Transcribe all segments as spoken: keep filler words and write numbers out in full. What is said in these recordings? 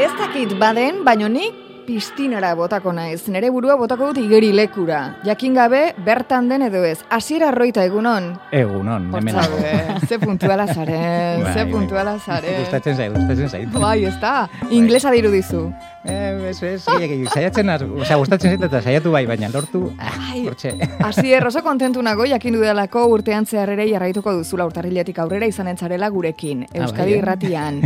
Ez dakit baden, baino nik pistinara botako naiz. Nere burua botako dut igeri lekura. Jakin gabe, bertan den edo ez. Asier Arroita, egunon? Egunon, hemen nago. Ze puntuala zaren, ze puntuala zaren. Gustatzen zait, gustatzen zait. Bai, ez da. Inglesa dirudizu. Eh, ez, ez, saiatzen, osea, gustatzen zait eta saiatu bai, baina lortu, hortxe. Asier, oso kontentu nago, jakin dudalako urtean zehar ere jarraituko duzula urtarriletik aurrera izanen zarela gurekin, Euskadi Irratian.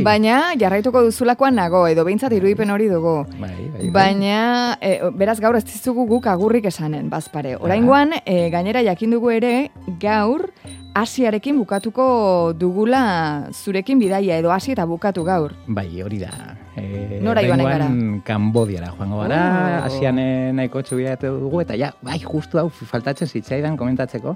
Baina jarraituko duzulakoan nago, edo behintzat irudipen hori dugu. Bai, bai, baina, e, beraz gaur ez dizugu guk agurrik esanen, bazpare. Oraingoan, e, gainera jakin dugu ere, gaur, Asiarekin bukatuko dugula zurekin bidaia, edo hasi eta bukatu gaur. Bai, hori da. E, Nora joanen gara? Kambodiara joango gara, oh. Asian nahiko txubiatu dugu, eta ja, bai, justu hau faltatzen zitzaidan komentatzeko.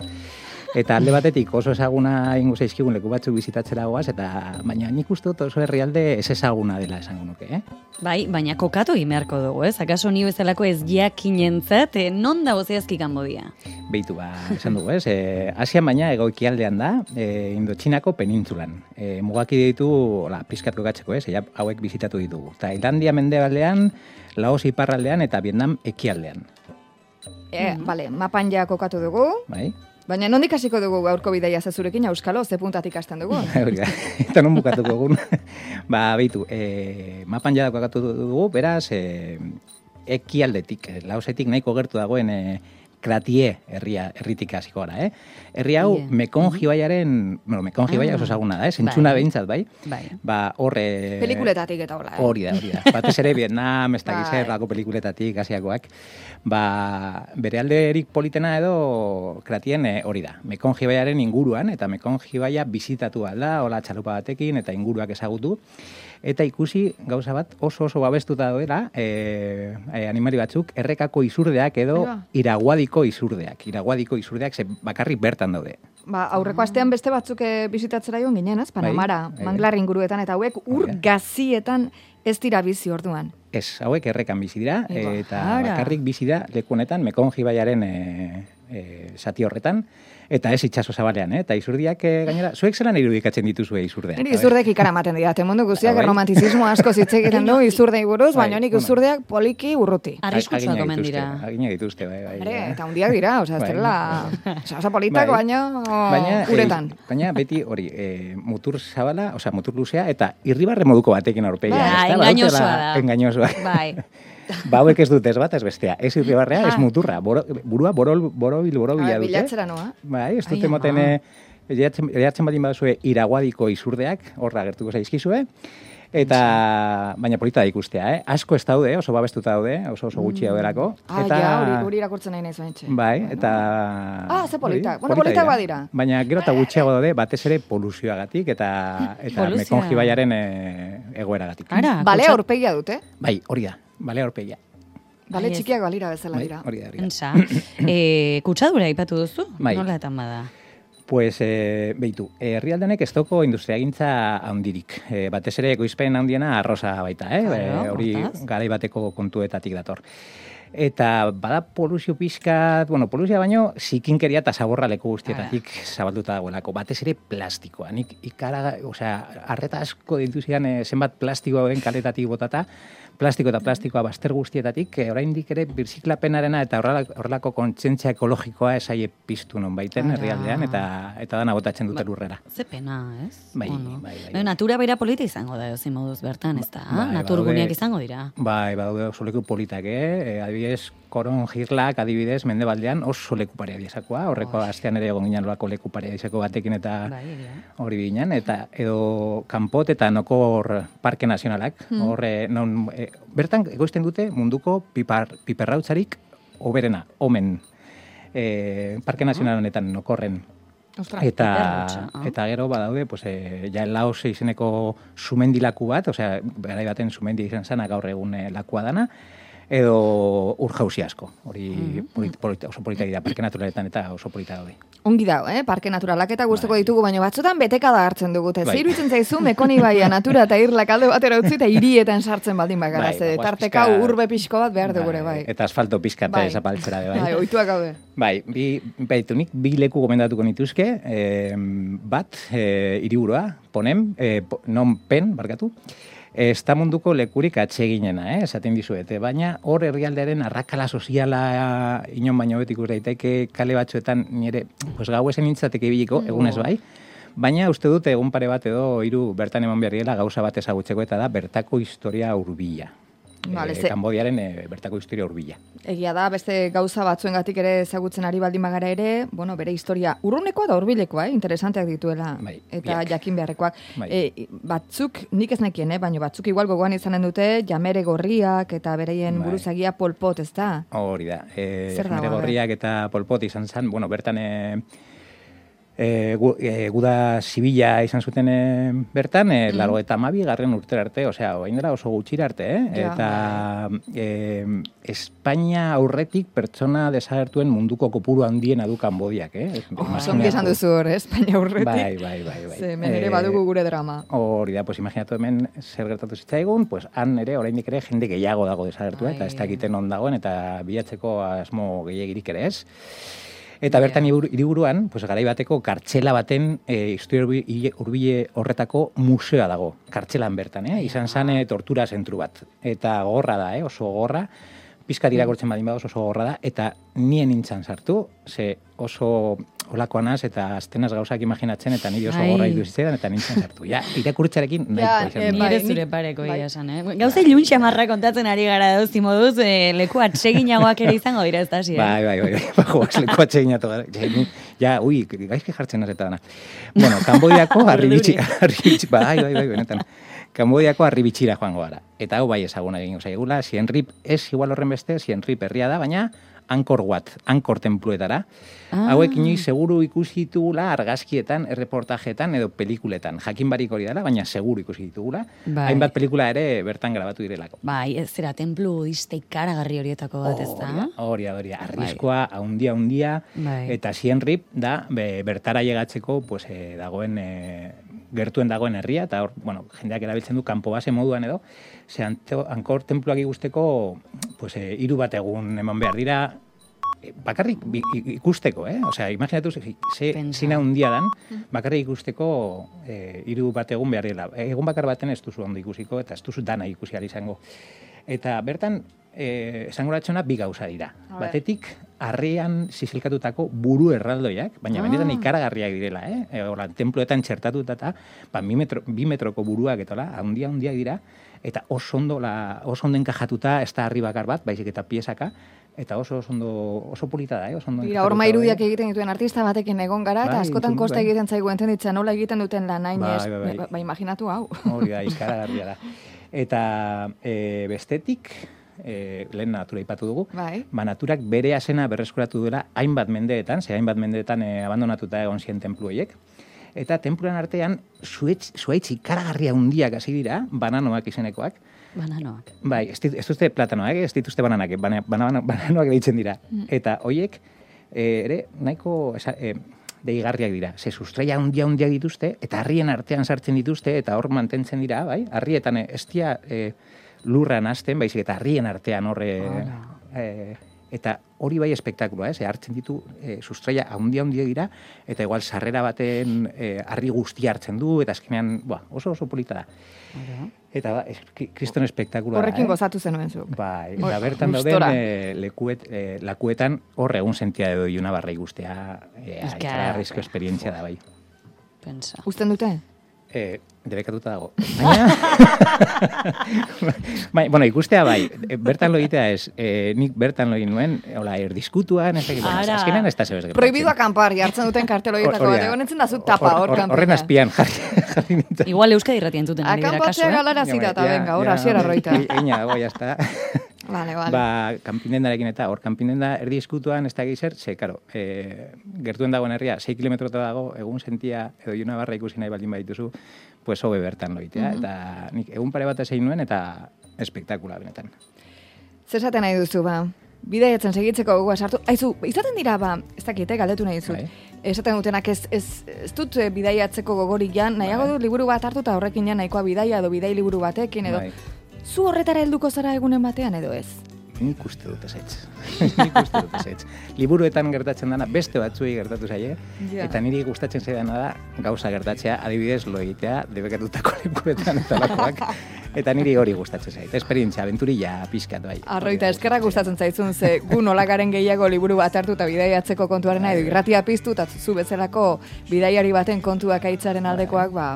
Eta alde batetik oso ezaguna ingo zaizkigun leku batzuk bizitatzera goaz, eta baina nik uste dut oso herrialde ez ezaguna dela esango nuke, eh? Bai, baina kokatu imerko dugu, ez? Akaso ni bezalako ez jakinentzat, eh, non dago zehazki Kanbodia? Beitu, ba, esan dugu, ez? E, Asian baina egoikialdean da, e, Indotxinako penintzulan. E, mugaki ditu, hola, pizkat kokatzeko, ez? Ea, hauek bizitatu ditugu. Tailandia mendebaldean, Laos iparraldean eta Vietnam ekialdean. E, mm. Bale, mapan ja kokatu dugu. Bai. Baina nondik hasiko dugu gaurko bidaia zazurekin, Euskalo, ze puntatik hasten dugu? Eta non bukatuko egun. Ba, beitu, e, mapan jadako kokatu dugu, beraz, e, ekialdetik, Laosetik nahiko gertu dagoen e, Kratie herria, herritik hasiko gara, eh? Herri hau, yeah. Mekonji baiaren, bueno, Mekonji baia oso ezaguna da, eh? Zentzuna behintzat, bai? Bai. Ba, horre... Pelikuletatik eta hola, eh? Hori da, hori da. Batez ere Vietnam, ez da gizerrako pelikuletatik, asiakoak. Ba, bere alderik politena edo Kratien hori da. Mekonji baiaren inguruan, eta Mekonji baia bizitatu alda, hola txalupa batekin, eta inguruak ezagutu. Eta ikusi gauza bat oso oso babestuta doela, e, e, animali batzuk, errekako izurdeak edo iraguadiko izurdeak. Iraguadiko izurdeak ze bakarrik bertan daude. Ba, aurreko astean beste batzuk bizitatzera joan ginen, ez? Panamara, bai, bai, manglar inguruetan, eta hauek ur gazietan ez dira bizi orduan. Ez, hauek errekan bizi dira, eta bakarrik bizi da leku honetan, Mekonji baiaren e, e, zati horretan, eta ez itxaso zabalean, eh? Eta izurdiak e, gainera, zuek zelan irudikatzen dituzue izurdeak? Niri izurdeak ikaramaten dira, mundu guztiak romantizismo asko zitze egiten du izurdei buruz, baina nik izurdeak poliki urruti. Arriskutsuak omen dira. Agina dituzte, bai, bai. Are, eta hundiak dira, oza, ez dela, oza, politak, baina uretan. Baina beti hori, mutur zabala, oza, mutur luzea, eta irribarre moduko batekin aurpegia. Ba, engainosoa da. Engainosoa. Bai. Ba, hauek ez dut ez bat, ez bestea. Ez irribarrea, ez muturra. Boro, burua borol, borobil, borobila dute. Bilatzera noa. Bai, ez dute moten, eratzen badin baduzue iraguadiko izurdeak, horra gertuko zaizkizue. Eta, baina polita da ikustea, eh? Asko ez daude, oso babestuta daude, oso oso gutxi daudelako. Ah, ja, hori irakurtzen nahi nahiz baintxe. Bai, eta... Ah, ze politak. Bueno, politak badira. Baina gero eta gutxiago daude, batez ere poluzioagatik eta eta Mekonji baiaren egoeragatik. Bale aurpegia dute? Bai, hori da. Bale aurpegia. Bale txikiak balira bezala dira. Hori da, hori da. Entza, e, kutsadura ipatu duzu? Bai. Nola etan bada? Pues, e, behitu, herrialdenek ez toko industriagintza handirik. E, batez ere ekoizpen handiena arroza baita, eh? Claro, hori garai bateko kontuetatik dator. Eta bada poluzio pixkat, bueno, poluzia baino, zikinkeria eta zaborra leku guztietatik zabalduta dagoelako. Batez ere plastikoa. Nik ikara, osea, arreta asko dituzian e, zenbat plastikoa den kaletatik botata, plastiko eta plastikoa bazter guztietatik, e, oraindik ere birziklapenarena eta horrelako kontzientzia ekologikoa esaie piztu non baiten herrialdean, eta eta dana botatzen dute lurrera. Ze pena, ez? Bai, bueno. bai, bai. bai. Natura beira polita izango da, ezin moduz bertan, ez da? Bai, naturguneak izango dira. Bai, badaude oso leku politak, eh? Adibidez, Koron Jirlak, adibidez, mendebaldean oso leku parea diazakoa. Horreko astean ere egon ginen lorako leku parea diazako batekin eta hori bai, ginen. Eta edo Kanpot eta Nokor Parke Nazionalak. Hmm. Horre, non, e, bertan egoizten dute munduko pipar, piperrautzarik oberena, omen. E, Parke Nazional honetan Nokorren. Ostra, eta eta gero badaude, pues eh, ja Laos izeneko sumendilaku bat, osea, garai baten sumendi izan zana gaur egun eh, lakua dana, edo urjauzi asko. Hori mm-hmm. politi, politi, oso polita dira, parke naturaletan eta oso polita daude. Ongi dago, eh? Parke naturalak eta guztoko ditugu, baina batzutan betekada hartzen dugu. Bai. Zer iruditzen zaizu, Mekoni baia natura eta irlak alde batera utzi eta hirietan sartzen baldin bagara. Bai, ze tarteka urbe pixko bat behar dugure, bai. Eta asfalto pixka eta esapaltzera, bai. Bai, oituak gaude. Bai, bi, baitu nik, bi leku gomendatuko nituzke, eh, bat, eh, hiriburua, ponem, eh, non pen, barkatu, ez da munduko lekurik atseginena, eh, esaten dizuete, baina hor herrialdearen arrakala soziala inon baino betik daiteke kale batzuetan nire, pues gau esen nintzateke ibiliko, egunez bai, baina uste dute egun pare bat edo hiru bertan eman behar direla gauza bat ezagutzeko eta da bertako historia hurbila. Vale, e, ze... Kambodiaren e, bertako historia hurbila. Egia da, beste gauza batzuengatik ere ezagutzen ari baldin bagara ere, bueno, bere historia urrunekoa da hurbilekoa, eh? Interesanteak dituela, bai, eta biak. jakin beharrekoak. Bai. E, batzuk, nik ez nekien, eh? Baina batzuk igual gogoan izanen dute, jamere gorriak eta bereien Bai. buruzagia Pol Pot, ez da? Hori da. E, Zer dago, Jamere a ber? Gorriak eta Pol Pot izan zen, bueno, bertan e, e, gu, e, guda zibila izan zuten e, bertan, e, Mm. laro eta mabi garren urtera arte, osea, orain dela oso gutxira arte, eh? Ja. Eta e, Espainia aurretik pertsona desagertuen munduko kopuru handiena du Kanbodiak, eh? Oh, zongi esan duzu hor, eh? Espainia aurretik. Bai, bai, bai, bai. Ze, hemen ere Eh, badugu gure drama. Hori da, pues imaginatu hemen zer gertatu zitzaigun, pues han ere, oraindik ere, jende gehiago dago desagertua, eta ez Ai. dakiten on dagoen, eta bilatzeko asmo gehiagirik ere ez. Eta bertan hiburu- hiriburuan, pues garai bateko kartxela baten e, historia hurbi- hurbile horretako museoa dago, kartxelan bertan, eh? Izan zan e, tortura zentru bat. Eta gogorra da, eh? Oso gogorra, pizkat irakurtzen badin badoz oso gogorra da, eta nien nintzen sartu, ze oso olakoa naz, eta aztenaz gauzak imaginatzen, eta niri oso Ai. gogorra iduzitzen, eta nintzen sartu. Ja, irakurtzarekin nahiko Ja, izan. eh, dut. bai, Nire nik- zure pareko bai. ia esan, eh? Gauza ilun xamarra kontatzen ari gara dauz, moduz, eh, leku atseginagoak ere izango dira ez da, hasi, eh? Bai, bai, bai, bai, bajo, leku atxeginatu gara. Ja, ni- ja, ui, gaizki jartzen az eta dana. Bueno, Kanbodiako arribitxi, arribitxi, bai, bai, bai, benetan. Kanbodiako arribitxira joango gara. Eta hau bai ezaguna egingo zaigula, Siem Reap ez igual horren beste, Siem Reap herria da, baina Angkor Wat, Angkor templuetara. Ah. Hauek inoiz seguru ikusi ditugula argazkietan, erreportajetan edo pelikuletan. Jakin barik hori dela, baina seguru ikusi ditugula. Bai. Hainbat pelikula ere bertan grabatu direlako. Bai, ez zera, templu budista ikaragarri horietako bat, ez da? Hori da, hori da. Arriskoa, haundia, haundia, Bai. eta Siem Reap da, be, bertara llegatzeko, pues, eh, dagoen, eh, gertuen dagoen herria, eta hor, bueno, jendeak erabiltzen du kanpo base moduan edo, ze anto- Angkor tenpluak ikusteko, pues, eh, hiru bat egun eman behar dira, eh, bakarrik bi- i- ikusteko, eh? Osea, imaginatu ze, ze Pensa. zina handia dan, bakarrik ikusteko eh, hiru bat egun behar dira. Egun bakar baten ez duzu ondo ikusiko, eta ez duzu dana ikusi ahal izango. Eta bertan, eh, esangoratxona bi gauza dira. A ber. Batetik, harrian zizilkatutako buru erraldoiak, baina Ah. benetan ikaragarriak direla, eh? E, Hola, templuetan txertatuta eta ba, bi, metro, bi metroko buruak eta hola, handia handiak dira, eta oso ondo, la, oso ondo enkajatuta, ez da harri bakar bat, baizik eta piezaka, eta oso oso ondo, oso polita da, eh? Oso ondo Dira, enkajatuta horma irudiak daude. egiten dituen artista batekin egon gara, eta Bai, askotan entzun, kosta bai. egiten zaigu entenditzen nola egiten duten lan hain Bai, ez, bai, bai. ba, ba, imaginatu hau. Hori da, ikaragarria da. Eta e, bestetik, e, lehen natura ipatu dugu, Bai. ba, naturak bere asena berreskuratu duela hainbat mendeetan, ze hainbat mendeetan e, abandonatuta egon ziren templu horiek. Eta templuan artean, zuetz, zuaitz ikaragarria hundiak hasi dira, bananoak izenekoak. Bananoak. Bai, ez, dit, ez dituzte platanoak, ez dituzte bananak, bana, bana, bananoak deitzen dira. Eta hoiek e, ere nahiko esa, e, deigarriak dira. Ze sustraia handia handiak dituzte, eta harrien artean sartzen dituzte, eta hor mantentzen dira, bai? Harrietan e, ez dira e, lurran hasten, baizik eta harrien artean horre... E, eta hori bai espektakuloa, ez? E, hartzen ditu e, sustraia handia handia dira, eta igual sarrera baten e, harri guztia hartzen du, eta azkenean, ba, oso oso polita da. Ora. Eta ba, es, ki- kriston espektakuloa da, Horrekin eh? gozatu zenuen zuk. Bai, Hor- eta bertan gustora. dauden e, lekuet, e, lakuetan hor egun sentia edo iluna barra ikustea, e, Ez que- ikaragarrizko esperientzia da bai. Pensa. Uzten dute? E, debekatuta dago. Baina, bai, bueno, ikustea bai, e, bertan lo egitea ez, e, nik bertan lo egin nuen, hola, erdizkutuan, ez dakit, baina, Ara. azkenean ez da zebez gertatzen. Prohibido acampar, jartzen duten kartel horietako Hori bat. da. Egon entzen da zuk tapa hor Hor- kanpoia. Horren azpian jarri, jarri nintzen. Igual Euskadi irratien zuten ari dira kasu, Akampatzea eh? galara zita, eta venga, hor hasiera roita. Eina dago, jazta. Vale, vale. Ba, kanpindendarekin eta hor kanpindenda erdi eskutuan ez da gizer, ze, karo, e, gertuen dagoen herria, sei kilometrota dago, egun sentia edo juna barra ikusi nahi baldin badituzu, pues hobe bertan loitea. Eta nik egun pare bat ezein nuen, eta espektakula benetan. Zer esaten nahi duzu, ba? Bidaiatzen segitzeko gogoa sartu. Aizu, izaten dira, ba, ez dakit, eh, galdetu nahi dizut. Bai. Esaten dutenak ez, ez, ez dut eh, bidaiatzeko gogorik jan, nahiago Bai. dut liburu bat hartu eta horrekin jan nahikoa bidaia edo bidai liburu batekin edo. Bai. Zu horretara helduko zara egunen batean edo ez? Nik uste dut ezetz. Nik uste dut ezetz. Liburuetan gertatzen dana beste batzuei gertatu zaie, Ja. eta niri gustatzen zaidana da gauza gertatzea, adibidez lo egitea, debekatutako lekuetan eta lakoak. Eta niri hori gustatzen zait, esperientzia, aventurilla pizkat bai. Arroita, eskerrak gustatzen zaizun, ze gu nolagaren gehiago liburu bat hartu eta bidaiatzeko kontuarena edo irratia piztu eta zu bezalako bidaiari baten kontuak aitzaren aldekoak, ba,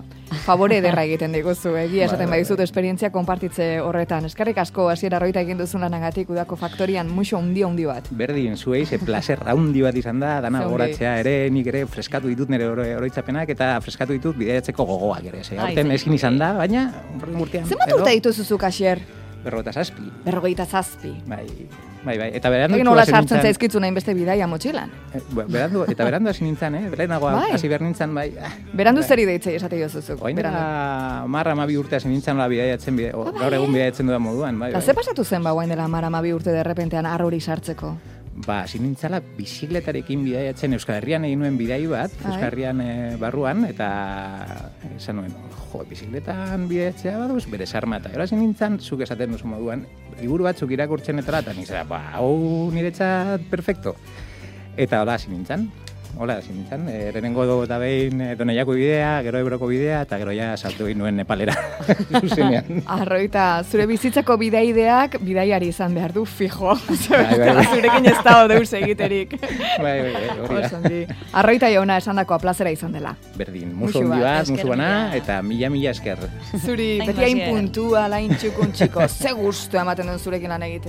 favore ederra egiten diguzu, egia esaten badizut esperientzia konpartitze horretan. Eskerrik asko hasiera Arroita egin duzun lanagatik udako faktorian muxo handi handi bat. Berdin, zuei, ze placer handi bat izan da, dana goratzea ere, nik ere freskatu ditut nire oroitzapenak eta freskatu ditut bidaiatzeko gogoak ere. Ze aurten ezin izan da, baina urtean. Zenbat urte dituzuzuk, Asier? Berrogeita zazpi. Berrogeita zazpi. Bai, bai, bai. Eta berandu Egin nola sartzen zaizkitzu nahin beste bidaia motxilan. Eh, berandu, eta berandu hasi nintzen, eh? Berenagoa bai. hasi behar nintzen, bai. Berandu zeri deitzei esate jozuzuk. Oain dela marra amabi urte hasi nintzen nola bidaiatzen, bide, o, gaur egun bidaiatzen dudan moduan. Bai, eta bai. ze pasatu zen ba oain dela marra amabi urte derrepentean arrori sartzeko? Ba, hasi nintzala bizikletarekin bidaiatzen Euskal Herrian egin nuen bidai bat, Euskal Herrian e, barruan, eta esan nuen, jo, bizikletan bidaiatzea baduz, bere sarma, eta gero hasi nintzen, zuk esaten duzu moduan, liburu batzuk irakurtzen etala, eta nintzera, ba, hau niretzat perfecto. Eta hola hasi nintzen, hola hasi nintzen, e, lehenengo do eta behin e, Doneiako bidea, gero Ebroko bidea, eta gero ja saltu egin nuen Nepalera, zuzenean. Arroita, zure bizitzako bidaideak bidaiari izan behar du, fijo. Bai, bai, bai. Zurekin ez dago deus egiterik. Bai, bai, bai, hori da. Arroita jauna esandakoa plazera izan dela. Berdin, musu handi bat, musu bana, eta mila mila esker. Zuri, beti hain puntua, lain txukun txiko, ze gustu ematen duen zurekin lan egitea.